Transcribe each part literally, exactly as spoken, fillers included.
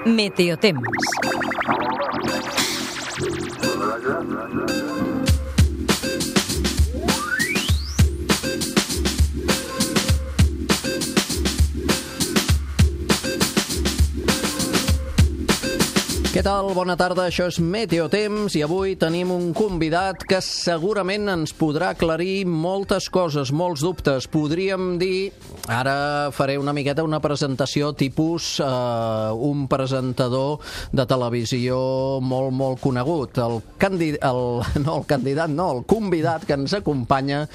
Meteotemps. Què tal? Bona tarda, això és Meteotemps i avui tenim un convidat que segurament ens podrà aclarir moltes coses, molts dubtes. Podríem dir, ara faré una miqueta una presentació tipus eh, un presentador de televisió molt, molt conegut. El candidat, el, no el candidat, no, el convidat que ens acompanya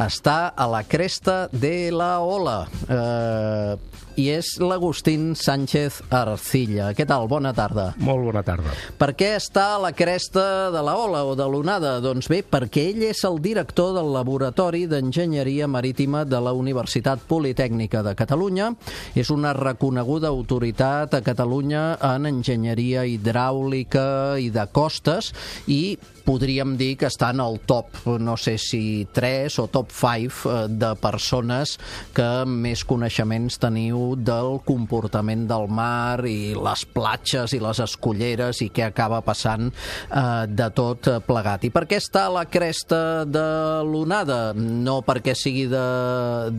està a la cresta de la ola. Eh, i és l'Agustín Sánchez Arcilla. Què tal? Bona tarda. Molt bona tarda. Per què està a la cresta de la ola o de l'onada? Doncs bé, perquè ell és el director del Laboratori d'Enginyeria Marítima de la Universitat Politècnica de Catalunya. És una reconeguda autoritat a Catalunya en enginyeria hidràulica i de costes i podríem dir que està en el top, no sé si tres o top cinc de persones que més coneixements teniu del comportament del mar i les platges i les escolleres i què acaba passant eh, de tot plegat. I per què està a la cresta de l'onada? No perquè sigui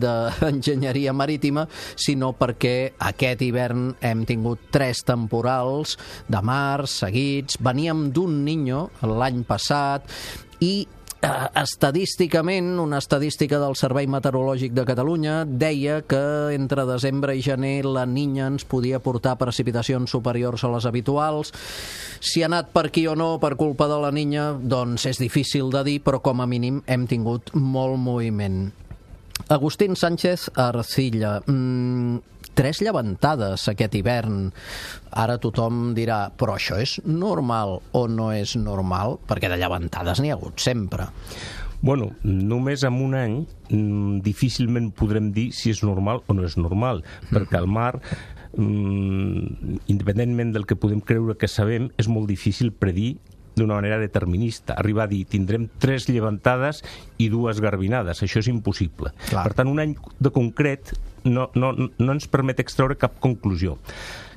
d'enginyeria marítima, sinó perquè aquest hivern hem tingut tres temporals de mar seguits. Veníem d'un Niño l'any passat i eh, estadísticament, una estadística del Servei Meteorològic de Catalunya deia que entre desembre i gener la Niña ens podia portar precipitacions superiors a les habituals. Si ha anat per aquí o no per culpa de la Niña, doncs és difícil de dir, però com a mínim hem tingut molt moviment. Agustín Sánchez Arcilla, mmm, tres llevantades aquest hivern. Ara tothom dirà, però això és normal o no és normal? Perquè de llevantades n'hi ha hagut sempre. Bueno, només en un any difícilment podrem dir si és normal o no és normal, mm-hmm. perquè el mar, independentment del que podem creure que sabem, és molt difícil predir d'una manera determinista. Arribar a dir, tindrem tres llevantades i dues garbinades. Això és impossible. Clar. Per tant, un any de concret no, no, no ens permet extreure cap conclusió.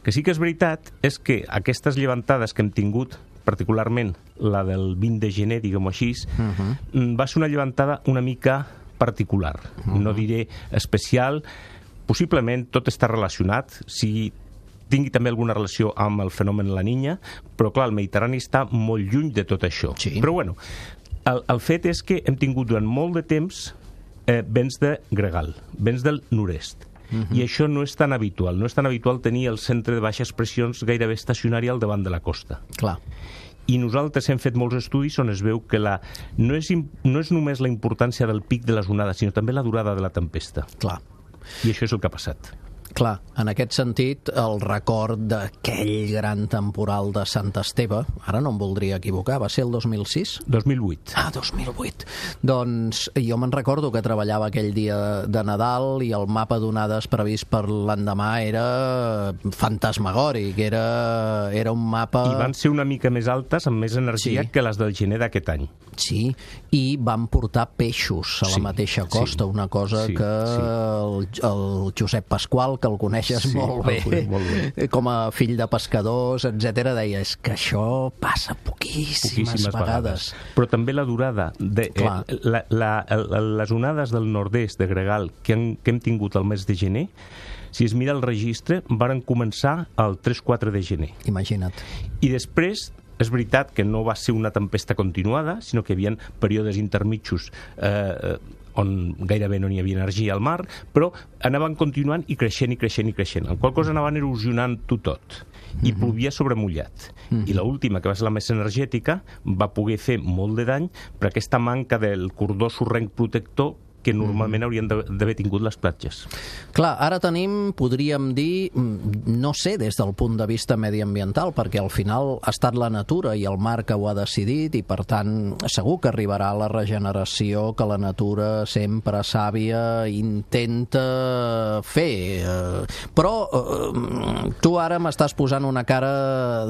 Que sí que és veritat és que aquestes llevantades que hem tingut, particularment la del vint de gener, diguem-ho així, uh-huh. va ser una llevantada una mica particular. Uh-huh. No diré especial. Possiblement tot està relacionat. Si tingui també alguna relació amb el fenomen La Niña, però clar, el Mediterrani està molt lluny de tot això. Sí. Però bueno, el, el fet és que hem tingut durant molt de temps eh, vents de gregal, vents del nord-est. Uh-huh. I això no és tan habitual. No és tan habitual tenir el centre de baixes pressions gairebé estacionari al davant de la costa. Clar. I nosaltres hem fet molts estudis on es veu que la, no, és, no és només la importància del pic de les onades, sinó també la durada de la tempesta. Clar. I això és el que ha passat. Clar, en aquest sentit, el record d'aquell gran temporal de Sant Esteve, ara no em voldria equivocar, va ser el dos mil sis? dos mil vuit. Ah, dos mil vuit. Doncs jo me'n recordo que treballava aquell dia de Nadal i el mapa d'onades previst per l'endemà era fantasmagòric, era, era un mapa... I van ser una mica més altes, amb més energia, sí, que les del gener d'aquest any. Sí, i van portar peixos a la sí, mateixa costa, sí, una cosa sí, que sí. El, el Josep Pasqual, que el coneixes sí, molt, bé, molt bé, com a fill de pescadors, etcètera, deia, és que això passa poquíssimes, poquíssimes vegades. vegades. Però també la durada, de, eh, la, la, la, les onades del nord-est de gregal que, han, que hem tingut el mes de gener, si es mira el registre, varen començar el tres quatre de gener. Imagina't. I després, és veritat que no va ser una tempesta continuada, sinó que hi havia períodes intermitjos eh, on gairebé no n'hi havia energia al mar, però anaven continuant i creixent i creixent i creixent, en qual cosa anaven erosionant-ho tot, i mm-hmm. plovia sobre mullat. Mm-hmm. I l'última, que va ser la més energètica, va poder fer molt de dany per aquesta manca del cordó sorrenc protector que normalment haurien d'haver tingut les platges. Clar, ara tenim, podríem dir, no sé des del punt de vista mediambiental, perquè al final ha estat la natura i el mar que ho ha decidit i per tant segur que arribarà la regeneració que la natura sempre sàvia intenta fer. Però tu ara m'estàs posant una cara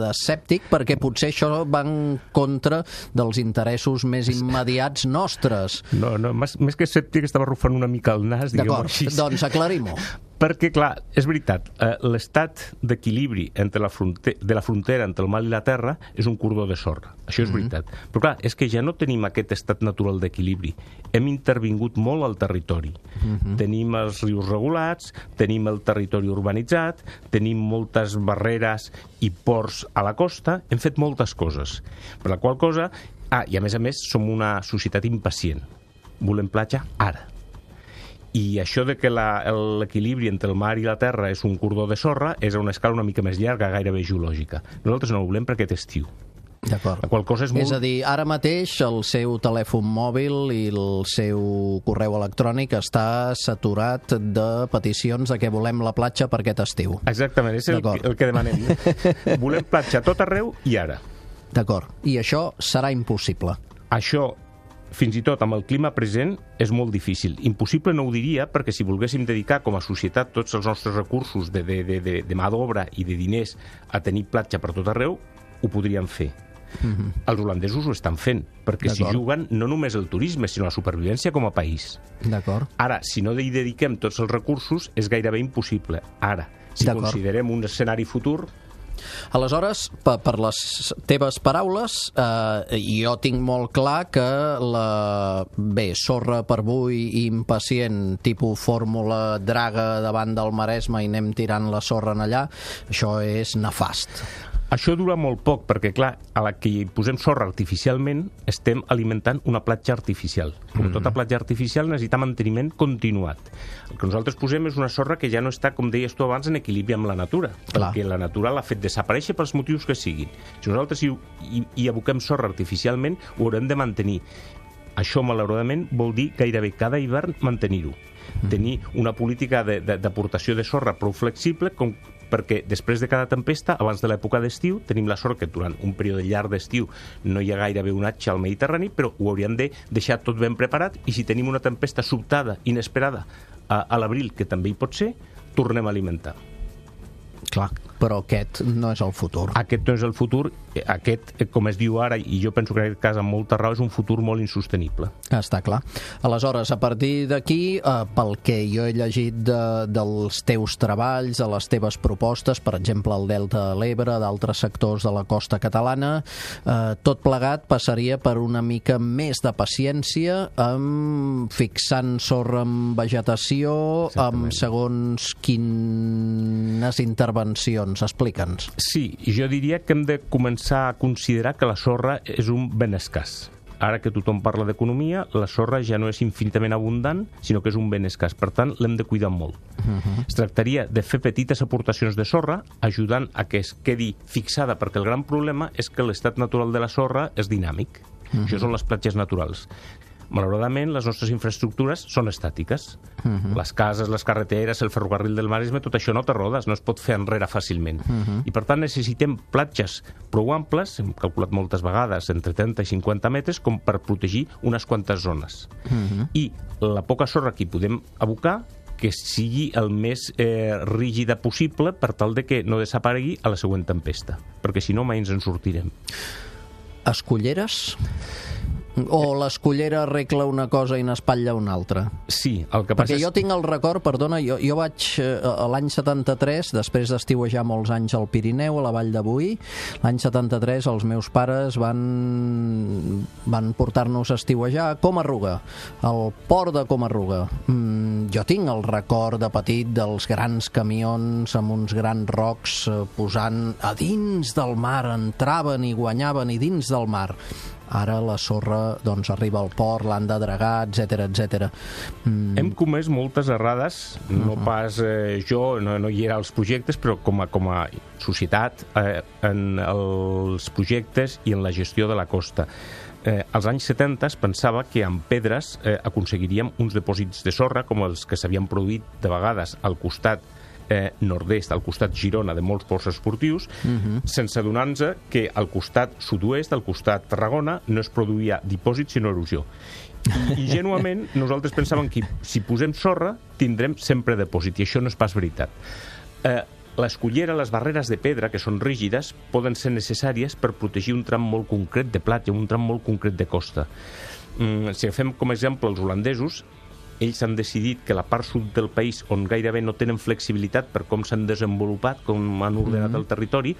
d'escèptic perquè potser això va en contra dels interessos més immediats nostres. No, no, més que escèptic estava arrufant una mica el nas, diguem-ho així. D'acord, doncs aclarim-ho. Perquè, clar, és veritat, eh, l'estat d'equilibri entre la fronte- de la frontera entre el mar i la terra és un cordó de sorra. Això és veritat. Mm-hmm. Però, clar, és que ja no tenim aquest estat natural d'equilibri. Hem intervingut molt al territori. Mm-hmm. Tenim els rius regulats, tenim el territori urbanitzat, tenim moltes barreres i ports a la costa, hem fet moltes coses. Per la qual cosa... Ah, i a més a més som una societat impacient. Volem platja ara. I això de que la, l'equilibri entre el mar i la terra és un cordó de sorra és a una escala una mica més llarga, gairebé geològica. Nosaltres no ho volem per aquest estiu. D'acord. La qual cosa és molt... És a dir, ara mateix el seu telèfon mòbil i el seu correu electrònic està saturat de peticions de que volem la platja per aquest estiu. Exactament, és el, el que demanem. Volem platja a tot arreu i ara. D'acord. I això serà impossible. Això, fins i tot amb el clima present, és molt difícil. Impossible no ho diria, perquè si volguéssim dedicar com a societat tots els nostres recursos de, de, de, de, de mà d'obra i de diners a tenir platja per tot arreu, ho podríem fer. Mm-hmm. Els holandesos ho estan fent, perquè s'hi juguen no només el turisme, sinó la supervivència com a país. D'acord. Ara, si no hi dediquem tots els recursos, és gairebé impossible. Ara, si considerem un escenari futur... Aleshores, per, per les teves paraules, eh, jo tinc molt clar que la bé, sorra per avui impacient, tipus fórmula draga davant del Maresme i anem tirant la sorra en allà, això és nefast. Això dura molt poc, perquè, clar, a la que hi posem sorra artificialment, estem alimentant una platja artificial. Com tota platja artificial necessita manteniment continuat. El que nosaltres posem és una sorra que ja no està, com deies tu abans, en equilibri amb la natura, clar. Perquè la natura l'ha fet desaparèixer pels motius que siguin. Si nosaltres hi, hi, hi aboquem sorra artificialment, ho haurem de mantenir. Això, malauradament, vol dir gairebé cada hivern mantenir-ho. Tenir una política d'aportació de, de sorra prou flexible com perquè després de cada tempesta, abans de l'època d'estiu, tenim la sort que durant un període llarg d'estiu no hi ha gairebé onatge al Mediterrani, però ho hauríem de deixar tot ben preparat i si tenim una tempesta sobtada, inesperada, a, a l'abril, que també hi pot ser, tornem a alimentar. Clar, però aquest no és el futur. Aquest no és el futur. Aquest, com es diu ara, i jo penso que en aquest cas amb molta raó, és un futur molt insostenible. Està clar. Aleshores, a partir d'aquí, eh, pel que jo he llegit de, dels teus treballs, de les teves propostes, per exemple, el Delta de l'Ebre, d'altres sectors de la costa catalana, eh, tot plegat passaria per una mica més de paciència, amb fixant sorra amb vegetació, amb segons quines intervencions. Explica'ns. Sí, jo diria que hem de començar a considerar que la sorra és un ben escàs. Ara que tothom parla d'economia, la sorra ja no és infinitament abundant, sinó que és un ben escàs. Per tant, l'hem de cuidar molt. Uh-huh. Es tractaria de fer petites aportacions de sorra, ajudant a que es quedi fixada, perquè el gran problema és que l'estat natural de la sorra és dinàmic. Uh-huh. Això són les platges naturals. Malauradament, les nostres infraestructures són estàtiques. Uh-huh. Les cases, les carreteres, el ferrocarril del Maresme, tot això no té rodes, no es pot fer enrere fàcilment. Uh-huh. I per tant necessitem platges prou amples, hem calculat moltes vegades, entre trenta i cinquanta metres, com per protegir unes quantes zones. Uh-huh. I la poca sorra que hi podem abocar, que sigui el més eh, rígida possible per tal de que no desaparegui a la següent tempesta, perquè si no mai ens en sortirem. Esculleres? O l'escullera arregla una cosa i n'espatlla una altra? Sí, el que passa Perquè és... jo tinc el record, perdona, jo, jo vaig eh, a l'any setanta-tres, després d'estiuejar molts anys al Pirineu, a la Vall de Boí, l'any setanta-tres els meus pares van, van portar-nos a estiuejar a Comarruga, al port de Comarruga. Mm, jo tinc el record de petit dels grans camions amb uns grans rocs eh, posant a dins del mar, entraven i guanyaven i dins del mar. Ara la sorra doncs, arriba al port, l'han de dragar, etcètera, etcètera. Mm. Hem comès moltes errades, no uh-huh. pas eh, jo, no, no hi era als projectes, però com a, com a societat, eh, en els projectes i en la gestió de la costa. Eh, als anys setanta es pensava que amb pedres eh, aconseguiríem uns dipòsits de sorra, com els que s'havien produït de vegades al costat Eh, nord-est, al costat Girona de molts ports esportius, uh-huh. sense adonar-nos que al costat sud-oest, al costat Tarragona, no es produïa dipòsit sinó erosió. I, i genuament nosaltres pensàvem que si posem sorra tindrem sempre dipòsit, i això no és pas veritat. Eh, l'escullera, les barreres de pedra, que són rígides, poden ser necessàries per protegir un tram molt concret de platja, un tram molt concret de costa. Mm, si agafem com a exemple els holandesos, ells han decidit que la part sud del país, on gairebé no tenen flexibilitat per com s'han desenvolupat, com han ordenat mm-hmm. el territori,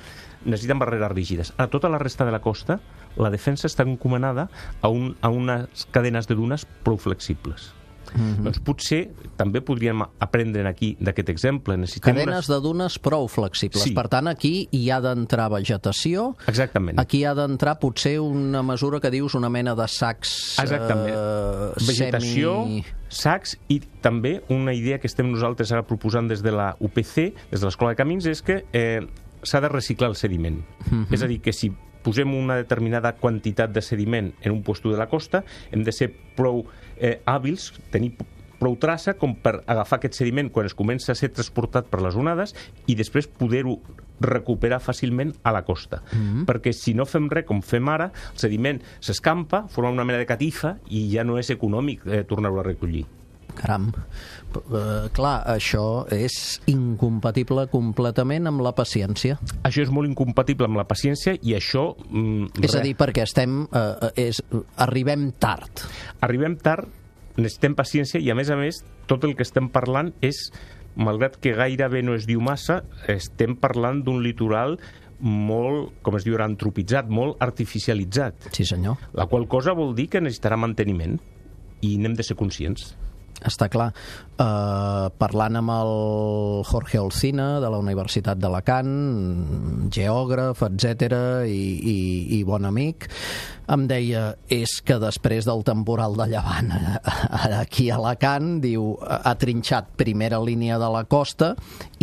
necessiten barreres rígides. A tota la resta de la costa, la defensa està encomanada a, un, a unes cadenes de dunes prou flexibles. Mm-hmm. Doncs potser també podríem aprendre aquí d'aquest exemple. Necessitem cadenes unes... de dunes prou flexibles. Sí. Per tant, aquí hi ha d'entrar vegetació. Exactament. Aquí hi ha d'entrar potser una mesura que dius una mena de sacs... Exactament. Eh, vegetació, semi... sacs, i també una idea que estem nosaltres ara proposant des de la U P C, des de l'Escola de Camins, és que eh, s'ha de reciclar el sediment. Mm-hmm. És a dir, que si posem una determinada quantitat de sediment en un puesto de la costa, hem de ser prou eh, hàbils, tenir prou traça com per agafar aquest sediment quan es comença a ser transportat per les onades i després poder-ho recuperar fàcilment a la costa. Mm-hmm. Perquè si no fem res com fem ara, el sediment s'escampa, forma una mena de catifa i ja no és econòmic eh, tornar-ho a recollir. Caram, uh, clar, això és incompatible completament amb la paciència. Això és molt incompatible amb la paciència i això... Mm, és a dir, perquè estem, uh, és, arribem tard. Arribem tard, necessitem paciència i, a més a més, tot el que estem parlant és, malgrat que gairebé no es diu massa, estem parlant d'un litoral molt, com es diu, antropitzat, molt artificialitzat. Sí, senyor. La qual cosa vol dir que necessitarà manteniment i n'hem de ser conscients. Està clar. Uh, parlant amb el Jorge Olcina de la Universitat d'Alacant, geògraf, etcètera, i, i, i bon amic, em deia, és que després del temporal de llevant aquí a Alacant, diu, ha trinxat primera línia de la costa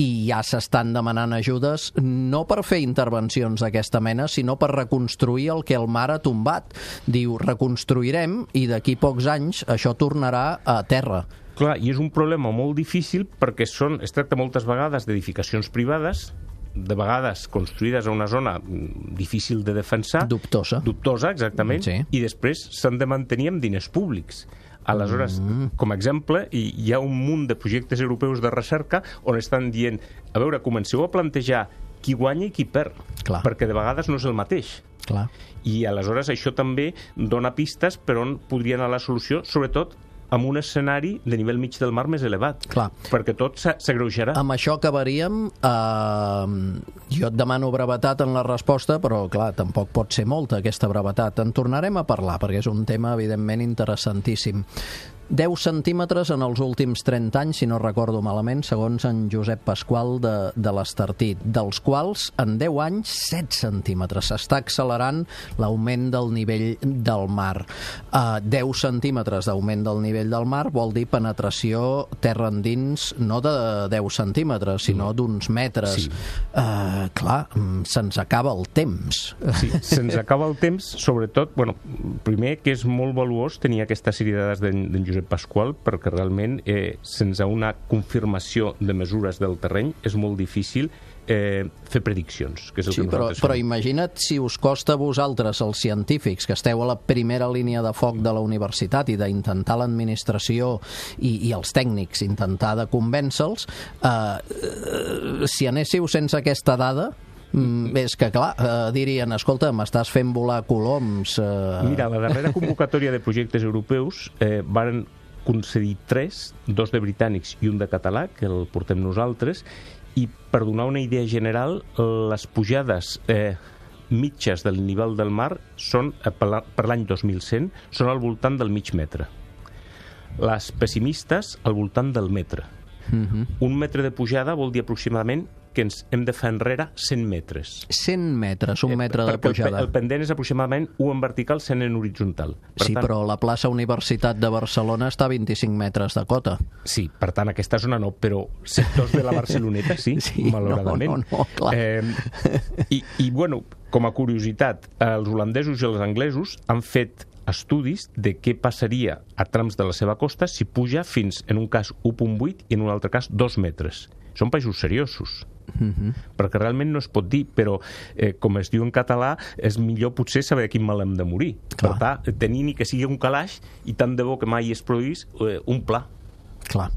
i ja s'estan demanant ajudes no per fer intervencions d'aquesta mena, sinó per reconstruir el que el mar ha tombat. Diu, reconstruirem i d'aquí pocs anys això tornarà a terra. Clar, i és un problema molt difícil perquè són, es tracta moltes vegades d'edificacions privades, de vegades construïdes a una zona difícil de defensar. Dubtosa. Dubtosa, exactament. Sí. I després s'han de mantenir amb diners públics. Aleshores, mm. com a exemple, hi ha un munt de projectes europeus de recerca on estan dient, a veure, comenceu a plantejar qui guanya i qui perd, clar, perquè de vegades no és el mateix. Clar. I aleshores això també dona pistes per on podria anar la solució, sobretot amb un escenari de nivell mig del mar més elevat. Clar. Perquè tot s'agreujarà. Amb això acabaríem. Eh, jo et demano brevetat en la resposta, però, clar, tampoc pot ser molta aquesta brevetat. En tornarem a parlar, perquè és un tema, evidentment, interessantíssim. deu centímetres en els últims trenta anys, si no recordo malament, segons en Josep Pasqual de, de l'Estartit, dels quals en deu anys set centímetres. S'està accelerant l'augment del nivell del mar. Uh, deu centímetres d'augment del nivell del mar vol dir penetració terra endins no de deu centímetres, sinó d'uns metres. Sí. Uh, clar, se'ns acaba el temps. Sí, se'ns acaba el temps, sobretot, bueno, primer que és molt valuós tenir aquesta sèrie de dades d'en, d'en Josep Pasqual, perquè realment eh, sense una confirmació de mesures del terreny és molt difícil eh, fer prediccions, que és el sí, que nosaltres però, però imagina't si us costa a vosaltres, els científics, que esteu a la primera línia de foc de la universitat i d'intentar l'administració i, i els tècnics, intentar de convèncer-los, eh, eh, si anéssiu sense aquesta dada, Mm, és que, clar, eh, dirien, escolta, m'estàs fent volar coloms... Eh... Mira, la darrera convocatòria de projectes europeus eh, van concedir tres, dos de britànics i un de català, que el portem nosaltres, i per donar una idea general, les pujades eh, mitges del nivell del mar són, eh, per l'any dos mil cent, són al voltant del mig metre. Les pessimistes, al voltant del metre. Uh-huh. Un metre de pujada vol dir aproximadament que ens hem de fer enrere cent metres. cent metres, un metre de pujada. El, el pendent és aproximadament u en vertical, cent en horitzontal. Per sí, tant, però la plaça Universitat de Barcelona està a vint-i-cinc metres de cota. Sí, per tant, aquesta zona no, però sectors de la Barceloneta sí, sí malauradament. No, no, no, clar. Eh, i, I, bueno, com a curiositat, els holandesos i els anglesos han fet estudis de què passaria a trams de la seva costa si puja fins, en un cas, u coma vuit i en un altre cas, dos metres. Són països seriosos. Uh-huh. Perquè realment no es pot dir, però eh, com es diu en català, és millor potser saber de quin mal hem de morir. Clar. Per tant, tenir ni que sigui un calaix i tant de bo que mai es produís eh, un pla. Clar.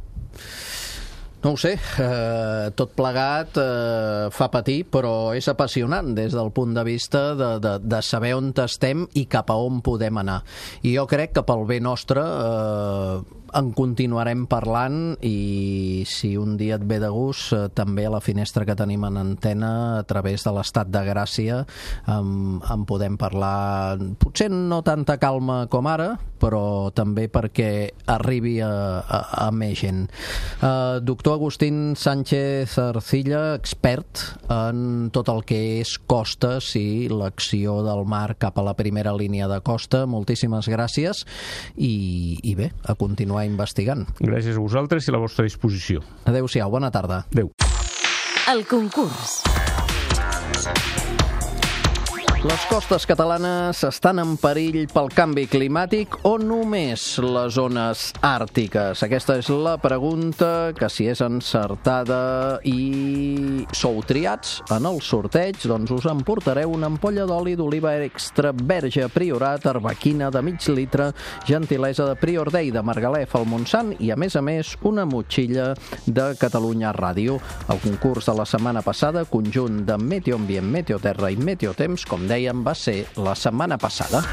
No ho sé, eh, tot plegat eh, fa patir, però és apassionant des del punt de vista de, de, de saber on estem i cap a on podem anar. I jo crec que pel bé nostre, eh, en continuarem parlant i si un dia et ve de gust, eh, també a la finestra que tenim en antena a través de l'Estat de Gràcia en, en podem parlar, potser no tanta calma com ara, però també perquè arribi a, a, a més gent. Eh, doctor Agustín Sánchez Arcilla, expert en tot el que és costes i l'acció del mar cap a la primera línia de costa, moltíssimes gràcies i, i bé, a continuar investigant. Gràcies a vosaltres i a la vostra disposició. Adéu-siau, bona tarda. Adéu. El concurs. Les costes catalanes estan en perill pel canvi climàtic o només les zones àrtiques? Aquesta és la pregunta que, si és encertada i sou triats en el sorteig, doncs us emportareu una ampolla d'oli d'oliva extra verge Priorat, arbequina de mig litre, gentilesa de Prior Day de Margalef al Montsant i, a més a més, una motxilla de Catalunya Ràdio. El concurs de la setmana passada, conjunt de Meteo Ambient, Meteo Terra i Meteo Temps, com dèiem, va ser la setmana passada.